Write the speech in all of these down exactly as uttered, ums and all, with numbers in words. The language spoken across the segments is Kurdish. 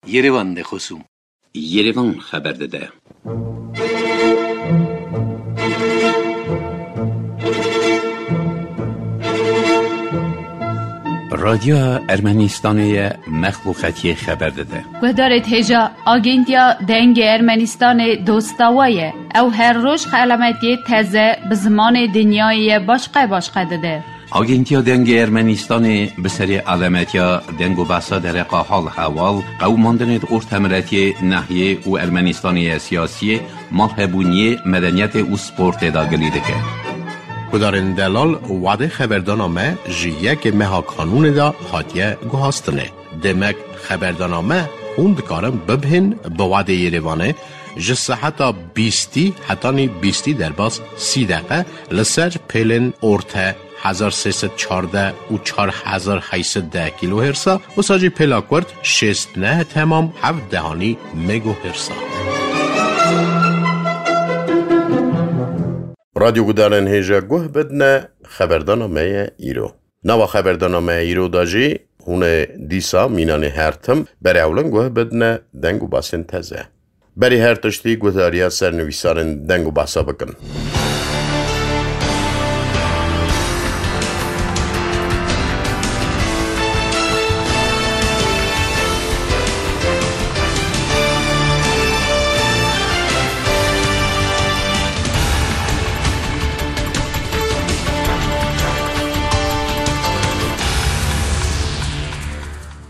Yerevan de xosûm. Yerevan xeber dide. Radyoya Ermenistanê ye, mexluqetiyê xeber dide. Guhdarêt hêja, Agentiya Dengê Ermenistanê dosta we ye. Ew her roj xelametiyê teze bi zimanê dinyayê ye başqe başqe dide. Agentiya Dengê Ermenistanê bi serê alemetiya deng û behsa dereqa hal heval, qewimandinê di ortemiretiyê, nehiyê û Ermenistanê ye siyasiyê, malhebûniyê, medeniyetê û sportê de gilî dike. Gudarên delal, wadê xeberdana me ji yekê meha kanûnê de hatiye guhastinê. Demek xeberdana me hûn dikarin bibihên bi wadê Yerevanê ji seheta bîstî hetanî bîstî derbas sî deqe li ser pêlên orte hezar sê sed çardeh û çar hezar heyt sed deh kîlohêrsa, wisa jî pêla kurt şêst neh temam heft dehanî megohêrsa. Radyo gudarên hêja guh bidine, xeberdana me ye îro. Nava xeberdana me îro de jî hûn ê dîsa mînanê her tim berê ewlin guh bidine deng û basên teze. Berî her tiştî guhdariya sernivîsarên deng û basa bikin.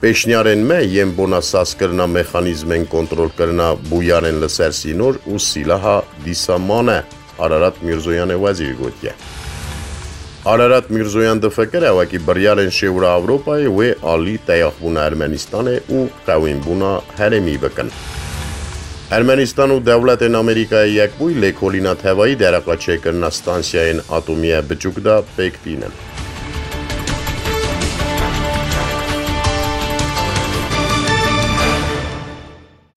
Pêşniyarên me yên bona sazkirina mexanîzmên kontrolkirina bûyarên li ser sînor û sîlaha dîsa mane, Ararat Mîrzoyanê wezîrî gotiye. Ararat Mîrzoyan difikire wekî biryarên Şêwra Ewropayê wê alî teyaxbûna Ermenistanê û qewînbûna herêmî bikin. Ermenistan û dewletên Amerîkayê Yekbûyî lêkolîna tevayî dereqa çêkirina stansiyayên atomî ye biçûk de pêk tînin.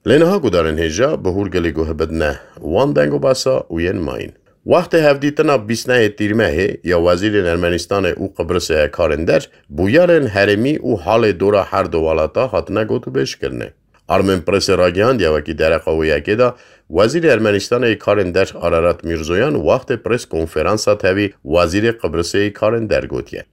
Lê niha gudarên hêja bi hûrgilî guh bidine wan deng û basa û yên mayîn. Wextê hevdîtina bîst nehê Tîrmehê ya wezîrên Ermenistanê û Qibrisê ye karên der, bûyerên herêmî û halê dora her du welata hatine gotûbêjkirinê. Armên Presê ragihandiye wekî dereqa wê yekê de, Wezîrê Ermenistanê yê karên der Ararat Mîrzoyan wextê pres konferansa tevî Wezîrê Qibrisê yê karên der gotiye.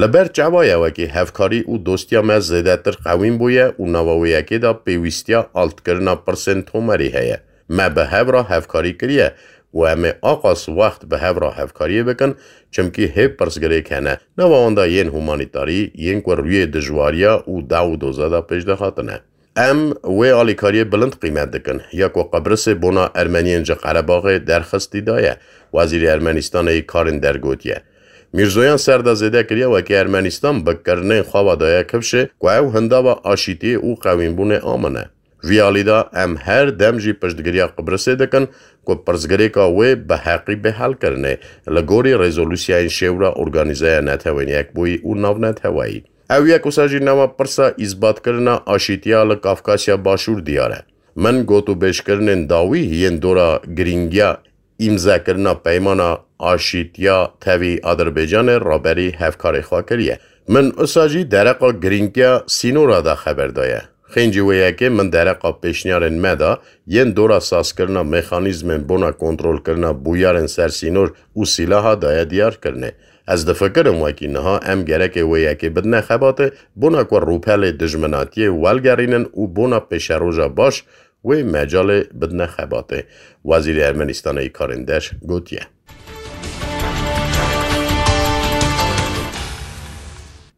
Li ber çawa ye wekî hevkarî û dostiya me zêdetir qewîn bûye û nava wê yekê de pêwîstiya altkirina pirsên tomerî heye. Me bi hev re hevkarî kiriye û em ê aqas wext bi hev re hevkariyê bikin, çimkî hê pirsgirêk hene, nava wan de yên humanîtarî, yên ku rûyê dijwariya û daw û doza de pêş de hatine. Em wê alîkariyê bilind qîmet dikin, ya ku Qibrisê bona Ermeniyên ji Qerebaxê derxistî daye, Wezîrê Ermenistanê yê karên der gotiye. Mîrzoyan ser de zêde kiriye wekî Ermenistan bi kirinên xwe ve daye kifşê ku ew hindava aşîtiyê û qewînbûnê a min e. Vî alî de em her dem jî piştgiriya Qibrisê dikin ku pirsgirêka wê bi heqî bê helkirinê li gorî rezolûsyayên Şêwra Organîzeya Netewên Yekbûyî û Navneteweyî. Ew yek wisa jî nava pirsa îsbatkirina aşîtiya li Kafkasya Başûr diyar e. Min gotûbêjkirinên dawî yên dora girîngiya îmzekirina peymana aşîtiya tevî Adirbaycanê raberî hevkarê xwe kiriye. Min wisa jî dereqa girîngiya sînora de xeber daye. Xêncî wê yekê min dereqa pêşniyarên me de yên dora sazkirina mexanîzmên bona kontrolkirina bûyerên ser sînor û sîlaha daye diyarkirinê. Ez difikirim wekî niha em gerekê wê yekê bidine xebatê, bona ku rûpelê dijminatiyê welgerînin û bona pêşeroja baş wê mecalê bidine xebatê, Wezîrê Ermenistanê yê karên der gotiye.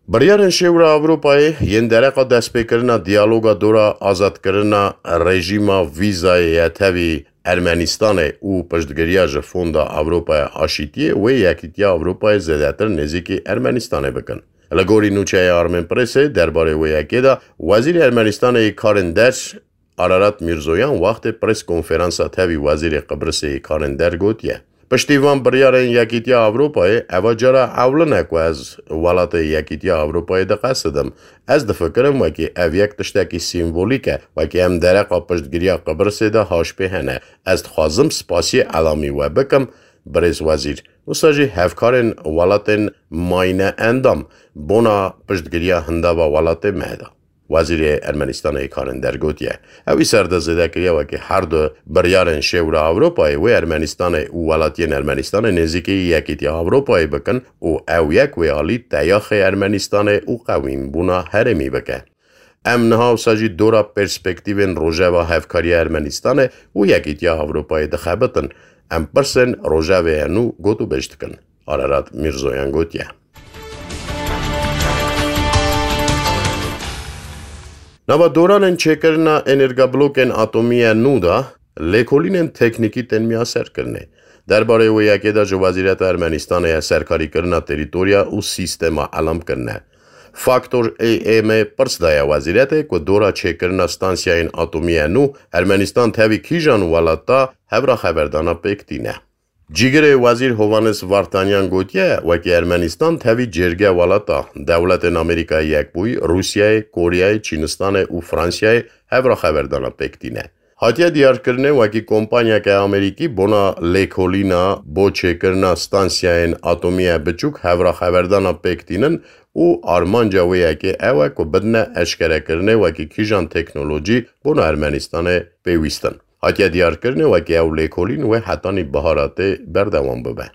Biryarên Şêwra Ewropayê yên dereqa destpêkirina diyaloga dora azadkirina rejîma vîzayê ye tevî Ermenistanê û piştgiriya ji Fonda Ewropaya Aşîtiyê wê Yekîtiya Ewropayê zêdetir nêzîkî Ermenistanê bikin. Li gorî nûçeya Armên Presê derbarê wê yekê de Wezîrê Ermenistanê yê Karên Der Ararat Mîrzoyan wextê pres konferansa tevî Wezîrê Qibrisê yê Karên Der gotiye, Piştî van biryarên Yekîtiya Ewropayê, eva cara ewlin e ku ez welatê Yekîtiya Ewropayê diqesidim. Ez difikirim wekî ev yek tiştekî sîmvolîk e, wekî em dereqa piştgiriya Qibrisê de haşpê hene. Ez dixwazim spasiyê elamî we bikim, birêz wezîr. Wisa jî hevkarên welatên mayîne endam bona piştgiriya hindava welatê me de. Wezîrê Ermenistanê Karên Der gotiye, ew î ser de zêde kiriye wekî her du biryarên Şêwra Ewropayê wê Ermenistanê û welatiyên Ermenistanê nêzîkî Yekîtiya Ewropayê bikin û ew yek wê alî teyaxê Ermenistanê û qewînbûna herêmî bike. Em niha wisa jî dora perspektîvên rojeva hevkariya Ermenistanê û Yekîtiya Ewropayê dixebitin. Em pirsên rojevê ye nû gotûbêj dikin. Ararat Mîrzoyan gotiye. Nava doranên çêkirina energablokên atomî ya nû de lêkolînên teknîkî tên miyaserkirinê. Derbarê wê yekê de ji Wezîreta Ermenistanê ya serkarîkirina terîtorya û sîstema elam kirine. Faktor A M pirs daye wezîretê ku dora çêkirina stansiyayên atomî ya nû Ermenistan tevî kîjan welata hevra xeverdana pêk tîne. Cîgirê Wezîr Hovannes Vartanyan gotiye, wekî Ermenistan tevî cêrge welata Dewletên Amerîkayê Yekbûyî, Rûsyayê, Koryayê, Çînistanê û Fransiyayê hevra xeverdana pêk tîne. Hatiye diyarkirinê, wekî kompanyeke Amerîkî bona lêkolîna bo çêkirina stansiyayên atomî ya biçûk hevra xeverdana pêk tînin û armanca wê yekê ew e ku bidine eşkerekirinê wekî kîjan teknolojî bona Ermenistanê pêwîst in. Hatiye diyarkirinê, wekî ew lêkolîn wê hetanî bihara tê berdewam bibe.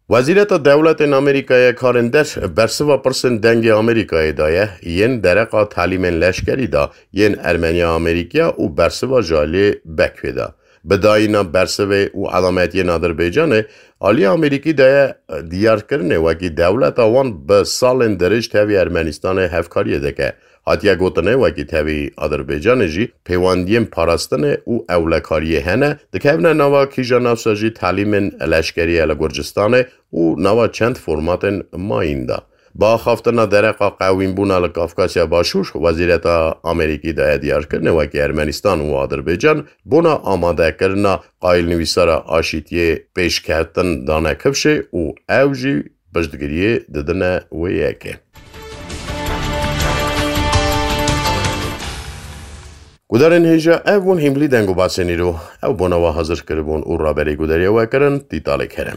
Wezîreta Dewletên Amerîkayê Karên Der bersiva pirsên Dengê Amerîkayê daye yên dereqa talîmên leşkerî da yên Ermeniya Amerîkiya û bersiva ji aliyê Bekvê da. Bi dayîna bersivê û elametiyên Adirbaycanê, aliyê Amerîkî daye diyarkirinê wekî dewleta wan bi salên dirêj tevî Ermenistanê hevkariyê dike. Hatiye gotinê, wekî tevî Adirbaycanê jî pêwendiyên parastinê û ewlekariyê hene, dikevine nava kîja navsa jî talîmên leşkerî ye li Gurcistanê û nava çend formatên mayîn de. Bi axaftina dereqa qewînbûna li Kafkasya Başûr, Wezîreta Amerîkî daye diyarkirinê, wekî Ermenistan û Adirbaycan bona amadekirina qayîlnivîsara aşîtiyê pêşketin dane kifşê û ew jî piştgiriyê didine wê yekê. Gudarên hêja, ev bûn hîmlî deng û basên îro. Ew bona we hazir kiribûn û raberê gudariya we kirin Tîtalê Kerem.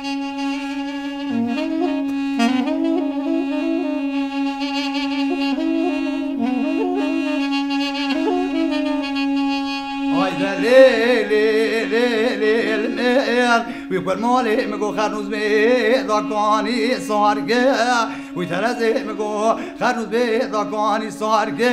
Hayde lê, lê, lê, lê, lê, lê, wî ku malê min go xernûz bê dakanî sarge. Wî terezê min go xernûz bê dakanî sarge.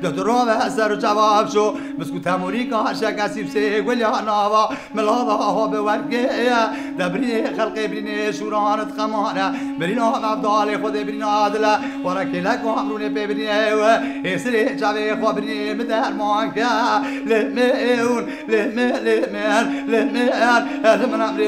De tu rave ser û çava şo, bisku temûrîka şekesî bi sê gulya nava. Milada ha bi wergê ye, debrînê xelqê birînê şûran û xeman e. Birîna mevdalê Xwedê birîna dil e, were kêlek û emrûnê pê birînê we. Êsirê çavê xwe birînê min derman ke. Lê min, lê min, lê min, lê min, lê min emrê.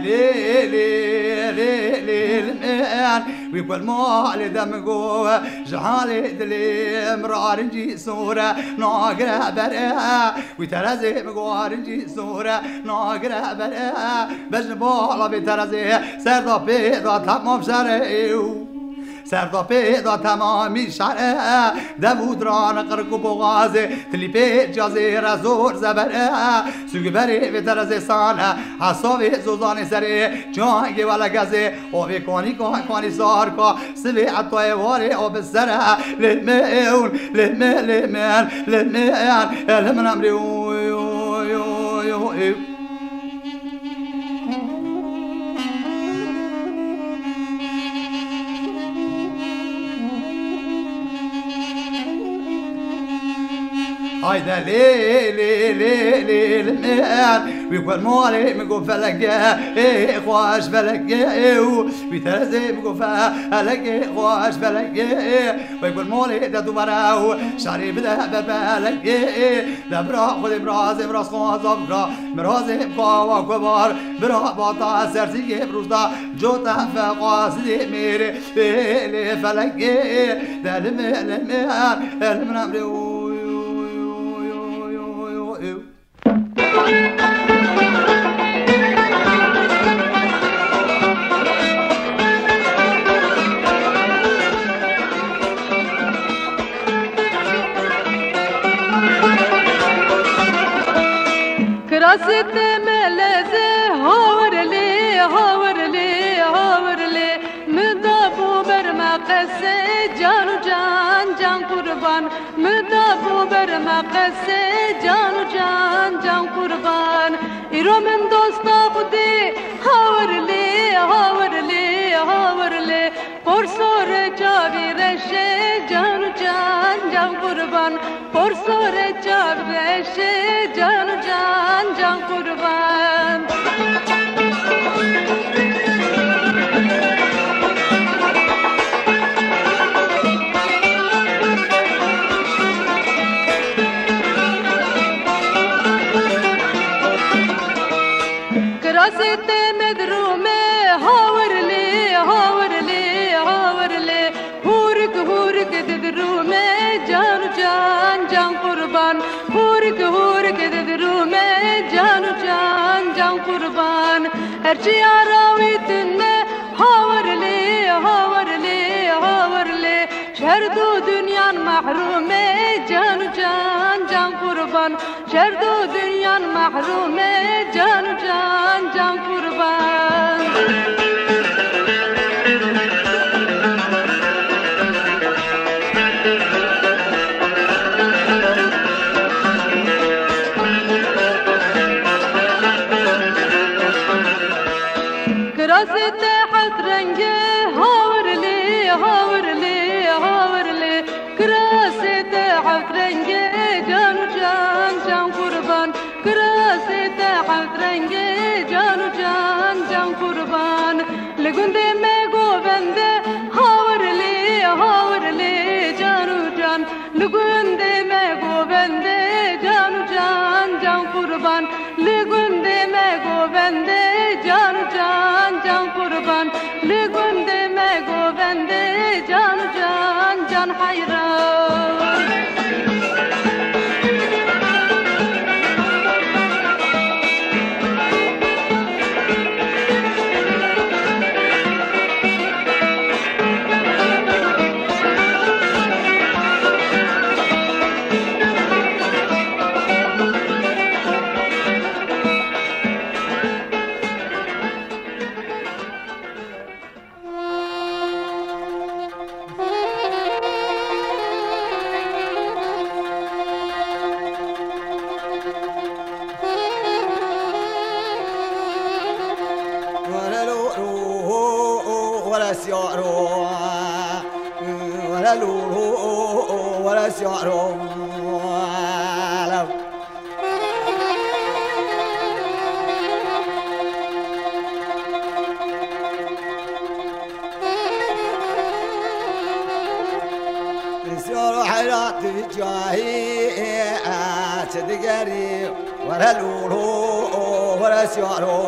Lê, lê, lê, lê, lê, lê, wî ku li malê de min got, ji halê dilê min rarincî sor e, nagire ber e. Wî terezê min got, rincî sor e, nagire ber e. Bejn bala vê terezê, ser da pê da temam şerê û Serda pê da temamî şer e, dev û diran qirk û boxazê, tilî pê cazê re zor zeber e. Sûgberê vê terezê san e, hesavê zozanê serê, cangê wele gezê, o vê kanî ka, kanî sar ka, sivê etayê warê o bi ser e. Lê min, lê min, lê min, lê min, lê min emrê, oy, oy, oy, oy, oy. Hayde lê, lê, lê, lê, lê, min. Wî ku malê min got felekê, ê, xweş felekê, û wî terezê min got felekê, xweş felekê. Wê ku malê de dû were û şerî bide ber felekê. De bira xwedê mirazê miraz xwaza bira, mirazê kawa kubar, bira bata sersîgê birûzda, cota feqa sidê mêrê, lê felekê, de limê, limê, limê emrê, oy, oy, oy. Kirasê te meleze, hawir lê, hawir lê, hawir lê. Min da bû ber me qesê, can û can, can qurban. Min da bû ber me qesê, can û can, can qurban. Îro min dosta Xwedê, hawir lê, hawir lê, hawir lê. Porsorê çavî reşê, can û can, can qurban. Porsorê çavî reşê, can û can, can qurban. Kirasê te medrûme, hawir lê, hawir lê, hawir lê. Hûrik, hûrik didirûme, can û can, can qurban. Hûrik, hûrik didirûme, can û can, can qurban. Her çi ya rawî tune, hawir lê, hawir lê, hawir lê. Ji her du dunyan mehrûme, can û can, can qurban. Ji her du dunyan mehrûme, can û can, can qurban. Kirasê te heft renge, hawir lê, hawir lê, hawir lê. Kirasê te heft renge, can û can, can qurban. Kirasê te heft renge, can û can, can qurban. Li gundê me govende, hawir lê, hawir lê, can û can. Li gundê me govende, can û can, can qurban. Li gundê me govende, can û can, can qurban. Li gundê me govende, can û can, can heyran. Siyaro heyrat cahî, çi digerî, were lûlû, were siyaro.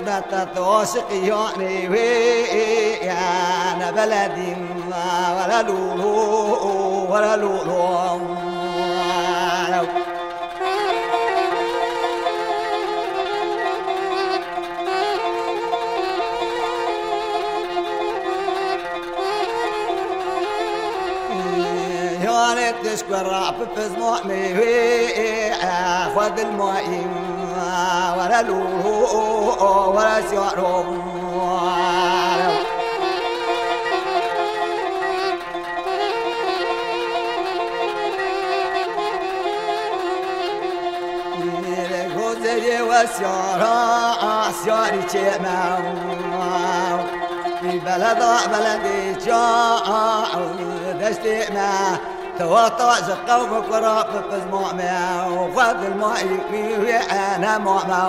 Te, te, te aşiqî yanê wê, ya ne beledîn, were lûlû, were lûlû. Yanê tişk we rap pizma mê wê, xwe dilmayî, were lûlû, were siyaro. Gozerê we siyara, siyarî çême. Beleda beledê ça, destê me. Tewata ji qewm kura bi pizma me. Xwe dilma wî wê ene ma me.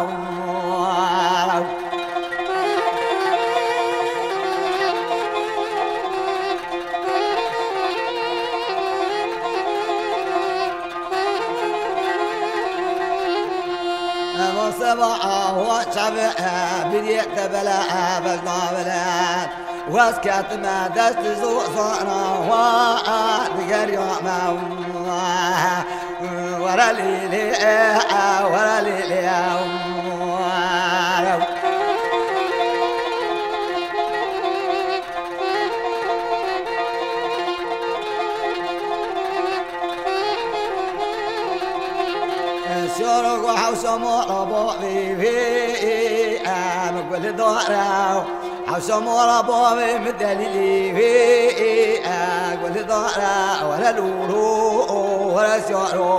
Eva seba awa çave, e, biriyê te bele, e, bejna bele. Wez ketime dest zo zana wa, e, diger ya me. Were lê lê, e, were lê lê. Siyara ku hewşa mala bavê wê, em gul dara. Hewşa mala bavê min delîlê wê, em gul dara. Were lûlû, were siyaro.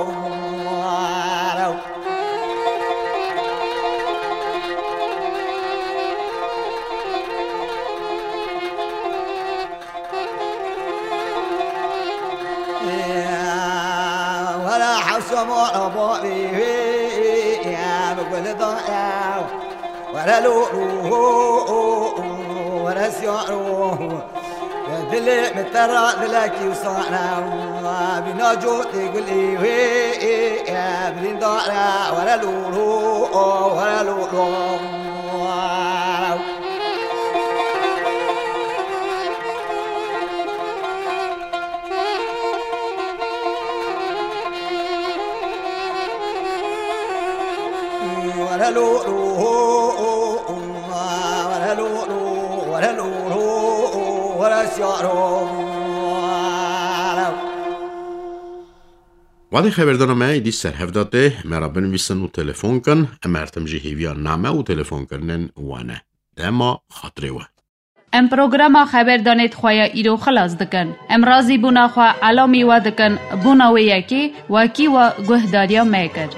Were hewşa mala bavê wê, em gul dara. Were lûlû, were siyaro. Dilê min te ra dilekî wisa ne. Bîna cotê gulê wê, birîndar e. Were lûlû, were lûlû. Were lûlû, were lûlû, were lûlû, were siyaro. Wadê xeberdana me êdî ser hev de tê, me re binivîsin û telefon kin. Em her tim jî hêviya name û telefonkirinên we ne. Dema xatirê we. Em programa xeberdanê di xwe ya îro xilas dikin. Em razîbûna xwe elamî we dikin, bona wê yekê wekî we guhdariya me kir.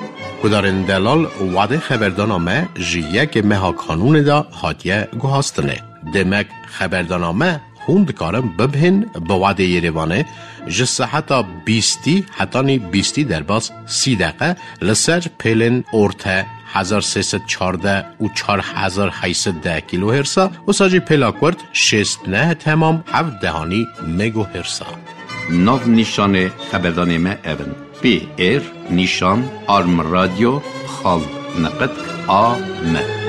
Guhdarên delal, wadê xeberdana me ji yekê meha kanûnê de hatiye guhastinê. Demek xeberdana me hûn dikarin bibihên bi wadê Yerêvanê ji seheta bîstî hetanî bîstî derbas sî deqe li ser pêlên orte hezar sê sed çardeh û çar hezar heyt sed deh kîlohêrsa, wisa jî pêla kurt şêst neh temam heft dehanî megohêrsa. Nav nîşanê xeberdanê me ev in: P R nîşan arm radio xal niqit A M.